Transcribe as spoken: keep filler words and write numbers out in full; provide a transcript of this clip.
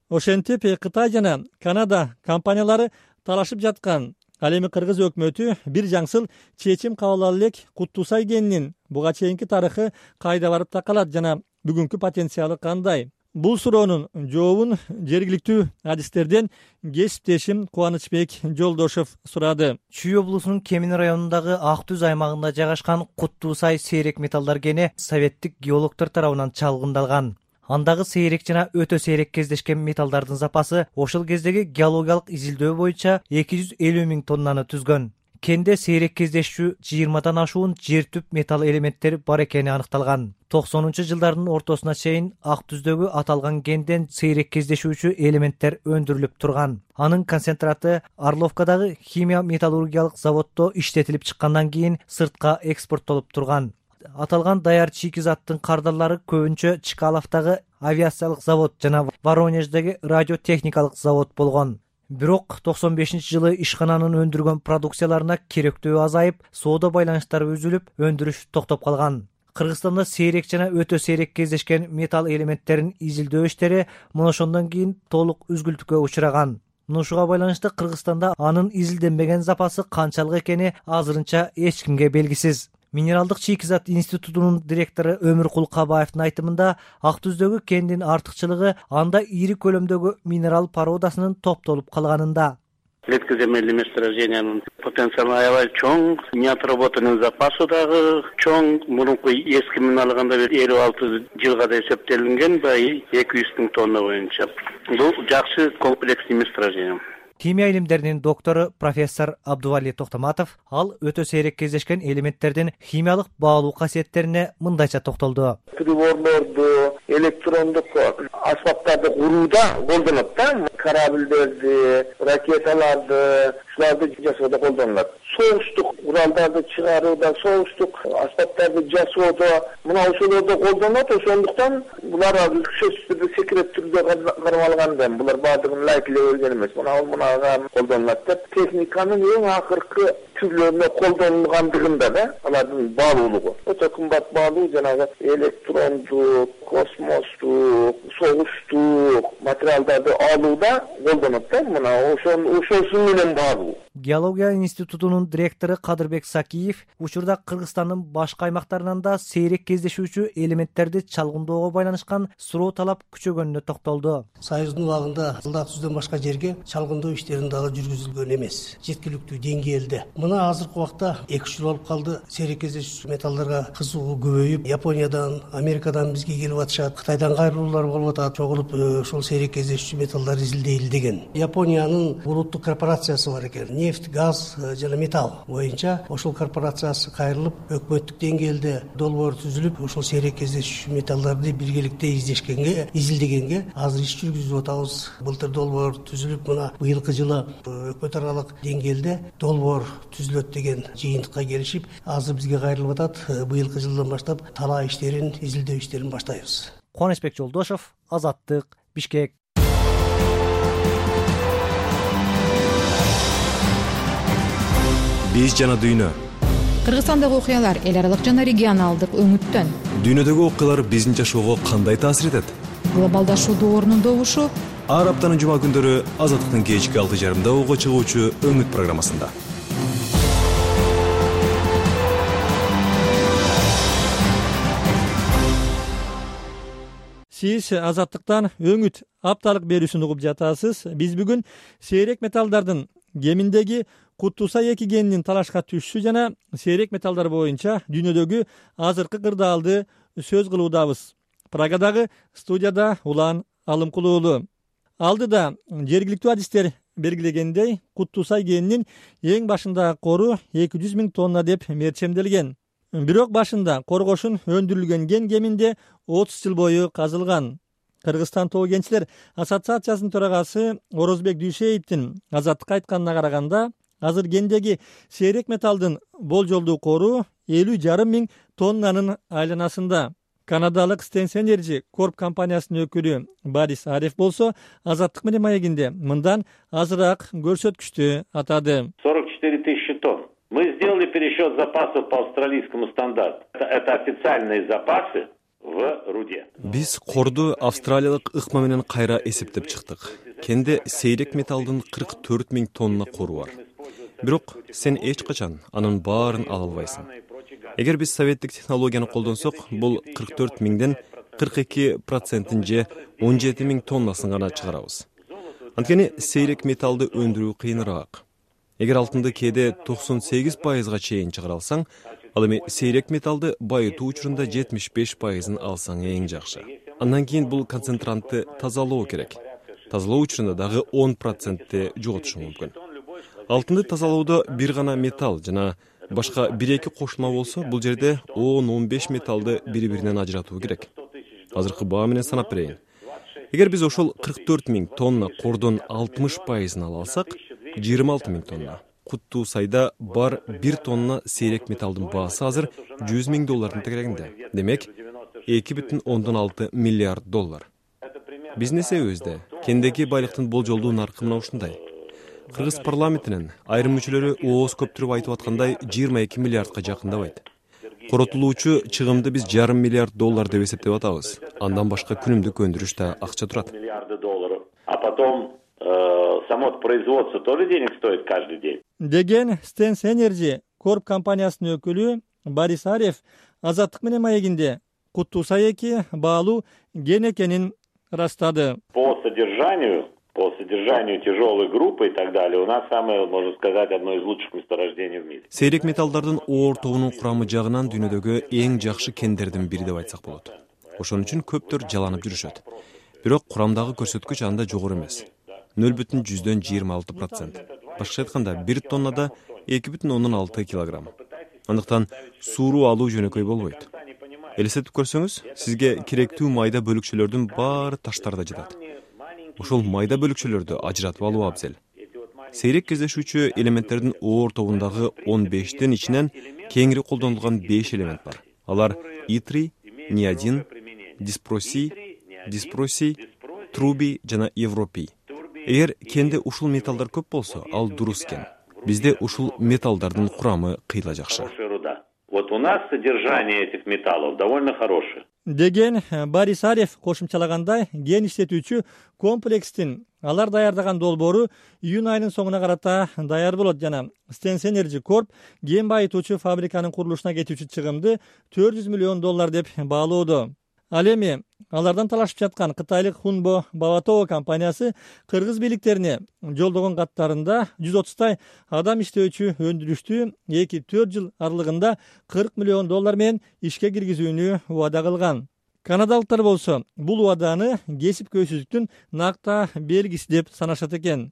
Ошентип Кытай жана Канада компаниялары талашып жаткан. Ал эми Кыргыз өкмөтү бир жаңсыл чечим кабыл ала элек Куттуусай кенинин буга чейинки тарыхы кайда барып такалат жана бүгүнкү потенциалы кандай? Бул суроонун жообун жергиликтүү адистерден кесиптешим Кубанычбек Жолдошов сурады. Чүй облусунун Кемин районундагы Ак Түз аймагында жайгашкан Куттуусай сейрек металлдар кени советтик геологдор тарабынан чалгындалган. Андагы сейрек жана өтө сейрек кездешкен металлдардын запасы ошол кездеги геологиялык изилдөө боюнча эки жүз элүү миң тоннаны түзгөн. Кенде сейрек кездешүү жыйырмадан ашуун жер түп металл элементтери бар экени аныкталган. токсонунчу жылдардын ортосуна чейин Ак Түздөгү аталган кенден сейрек кездешүүчү элементтер өндүрүлүп турган. Анын концентраты Орловкадагы химия металлургиялык заводдо иштетилип чыккандан кийин сыртка экспорттолуп турган. Аталган даяр чикизаттын кардарлары көбүнчө Чкаловдагы авиациялык завод жана Воронеждеги радиотехникалык завод болгон. Бирок токсон бешинчи жылы ишкананын өндүргөн продукцияларына керектөө азайып, соода байланыштары үзүлүп, өндүрүш токтоп калган. Кыргызстанда сейрек жана өтө сейрек кездешкен металл элементтерин изилдөө иштери мына ошондон кийин толук үзгүлтүккө учураган. Мынушуга байланыштуу Кыргызстанда анын изилденбеген запасы канчалык экени азырынча эч кимге белгисиз. Минералдык чийкизат институтунун директору Өмүркул Кабаевдин айтымында, Ак Түздөгү кендин артыкчылыгы анда ири көлөмдөгү минерал породасынын топтолуп калганында. Редкоземельный месторождениянын потенциалы аябай чоң, неотработанный запасы дагы чоң. Мурунку эски менен алганда элүү алты жылга да эсептелинген, бай эки жүз миң тонна боюнча. Бул жакшы комплексный месторождение. Химия илимдеринин доктору профессор Абдували Токтоматов ал өтө сейрек кездешкен элементтердин химиялык баалуу касиеттерине мындайча токтолду. Приборлорду, электрондук аспаптарды курууда колдонот да, корабльдерди, ракеталарды, шуларды жасоодо колдонулат. Соғуштук уралдарды чыгарууда, соғуштук аспаптарды жасоодо мына ошолордо колдонот. Ошондуктан булар сөзсүз түрдө секрет түрдө кармалган. Булар баардыгын лайкилеп ölген эмес. Мына мунага колдонулат деп техниканын эң акыркы түрлөрүнө колдонулгандыгында да алардын баалуулугу. Өтө кымбат баалуу, жанагы электрондук, космостук, согуштук материалдарды алууда колдонот да. Мына ошосу менен баалуу. Геология институтунун директору Кадырбек Сакиев учурда Кыргызстандын башка аймактарынан да сейрек кездешүүчү элементтерди чалгындоого байланышкан суроо талап күчөгөнүнө токтолду. Союздун убагында Ак Түздөн башка жерге чалгындоо иштерин дагы жүргүзүлгөн эмес, жеткиликтүү деңгээлде. Мына азыркы убакта эки жыл болуп калды, сейрек кездешүүчү металлдарга кызыгуу көбөйүп, Япониядан, Америкадан бизге келип атышат, Кытайдан кайрылуулар болуп атат, чогулуп ошол сейрек кездешүүчү металлдар изилдейли деген. Япониянын улуттук корпорациясы бар экен. Нефть, газ жана металл боюнча ошол корпорациясы кайрылып, өкмөттүк деңгээлде долбоор түзүлүп, ошол сейрек кездешүүчү металлдарды биргеликте издешкенге, изилдегенге азыр иш жүргүзүп атабыз. Былтыр долбоор түзүлүп, мына быйылкы жылы өкмөт аралык деңгээлде долбоор түзүлөт деген жыйынтыкка келишип, азыр бизге кайрылып атат. Быйылкы жылдан баштап талаа иштерин, изилдөө иштерин баштайбыз. Кубанычбек Жолдошов, Азаттык, Бишкек. Биз жана дүйнө. Кыргызстандагы окуялар эл аралык жана регионалдык өңүттөн. Дүйнөдөгү окуялар биздин жашоого кандай таасир этет? Глобалдашуу доорунун добушу ар аптанын жума күндөрү Азаттыктын кечки алты жарымда уга чыгуучу өңүт программасында. Сиз Азаттыктан өңүт апталык берүүсүн угуп жатасыз. Биз бүгүн сейрек металлдардын кеминдеги Куттуусай эки кенинин талашка түшүшү жана сейрек металлдар боюнча дүйнөдөгү азыркы кырдаалды сөз кылуудабыз. Прагадагы студияда Улан Алымкулуулу. Алдыда жергиликтүү адистер белгилегендей, Куттуусай кенинин эң башындагы кору эки жүз миң тонна деп мерчемделген. Бирок башында коргошун өндүрүлгөн кен кеминде отуз жыл бою казылган. Кыргызстан тоо кенчилер ассоциациясынын төрагасы Орозбек Дүйшеевдин Азаттыкка айтканына караганда, азыр кендеги сейрек металлдын болжолдуу кору элүү жарым миң тоннанын айланасында. Канадалык Stens Energy Corp компаниясынын өкүлү Борис Ареф болсо Азаттык менен маегинде мындан азыраак көрсөткүчтү атады. сорок четыре тысячи тонн. Мы сделали пересчет запасов по австралийскому стандарту. Это официальные запасы. в руде. Биз корду австралиялык ыкма менен кайра эсептеп чыктык. Кенде сейрек металдын кырк төрт миң тонна кору бар. Бирок сен эч качан анын баарын ала албайсың. Эгер биз советтик технологияны колдонсок, бул кырк төрт миңден кырк эки процентин же он жети миң тоннасын гана чыгарабыз. Анткени сейрек металды өндүрүү кыйыныраак. Эгер алтынды кээде токсон сегиз пайызга чейин чыгара алсаң, ал эми сейрек металды байытуу учурунда жетимиш беш пайызын алсаң эң жакшы. Андан кийин бул концентрантты тазалоо керек. Тазалоо учурунда дагы он процентти жоготушу мүмкүн. Алтынды тазалоодо бир гана металл жана башка бир эки кошулма болсо, бул жерде он он беш металлды бири-биринен ажыратуу керек. Азыркы баа менен санап берейин. Эгер биз ошол кырк төрт миң тонна кордон алтымыш пайызын ала алсак, жыйырма алты миң тонна. Куттуу сайда бар бир тонна сейрек металдын баасы азыр жүз миң доллардын тегерегинде. Демек, эки бүтүн ондон алты миллиард доллар. Биздин эсебибизде кендеги байлыктын болжолдуу наркы мына ушундай. Кыргыз парламентинин айрым мүчөлөрү ооз көптүрүп айтып аткандай жыйырма эки миллиардка жакындабайт. Коротулуучу чыгымды биз жарым миллиард доллар деп эсептеп атабыз. Андан башка күнүмдүк өндүрүш да акча турат. А потом само производство тоже денег стоит каждый день. Деген Stens Energy Corp компаниясынын өкүлү Борис Арев Азаттык менен маегинде Куттуусай эки баалуу ген экенин ырастады. По содержанию По содержанию тяжелой группы и так далее, у нас самое, можно сказать, одно из лучших месторождений в мире. Сейрек металлдардын оор тобунун курамы жагынан дүйнөдөгү эң жакшы кендердин бири деп айтсак болот. Ошон үчүн көптөр жаланып жүрүшөт. Бирок курамдагы көрсөткүч анда жогору эмес. нөл бүтүн жүздөн жыйырма алты процент. Башкача айтканда, бир тоннада эки бүтүн ондон алты килограмм. Андыктан сууруу алуу жөнөкөй болбойт. Элестетип көрсөңүз, сизге керектүү майда бөлүкчөлөрдүн баары таштарда жатат. Ошол майда бөлүкчөлөрдү ажыратып алуу абзел. Сейрек кездешүүчү элементтердин оор тобундагы он бештин ичинен кеңири колдонулган беш элемент бар. Алар итрий, неодин, диспросий, диспросий, трубий жана европий. Эгер кенде ушул металлдар көп болсо, ал дурус кен. Бизде ушул металлдардын курамы кыйла жакшы. Вот у нас содержание этих металлов довольно хорошее. Деген Борис Арев кошумчалагандай, ген иштетүүчү комплекстин алар даярдаган долбоору июнь айынын соңуна карата даяр болот жана Stens Energy Corp ген байытуучу фабриканын курулушуна кетүүчү чыгымды төрт жүз миллион доллар деп баалоодо. Ал эми алардан талашып жаткан кытайлык Хунбо Баватово компаниясы кыргыз бийликтерине жолдогон каттарында жүз отуздай адам иштөөчү өндүрүштү эки төрт жыл аралыгында кырк миллион доллар менен ишке киргизүүнү убада кылган. Канадалыктар болсо бул убаданы кесип көйсүздүктүн накта белгиси деп санашат экен.